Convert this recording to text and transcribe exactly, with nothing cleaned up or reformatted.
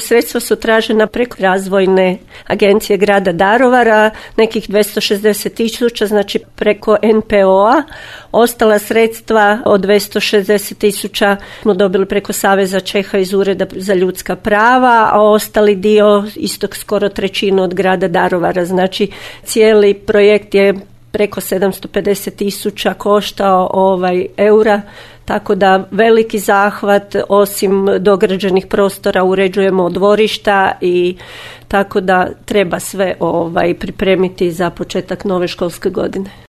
Sredstva su tražena preko razvojne agencije grada Daruvara, nekih dvjesto šezdeset tisuća, znači preko en pe o-a. Ostala sredstva od dvjesto šezdeset tisuća smo dobili preko Saveza Čeha iz Ureda za ljudska prava, a ostali dio, isto skoro trećinu od grada Daruvara. Znači cijeli projekt je preko sedamsto pedeset tisuća koštao ovaj eura, tako da veliki zahvat, osim dograđenih prostora uređujemo dvorišta i tako da treba sve ovaj pripremiti za početak nove školske godine.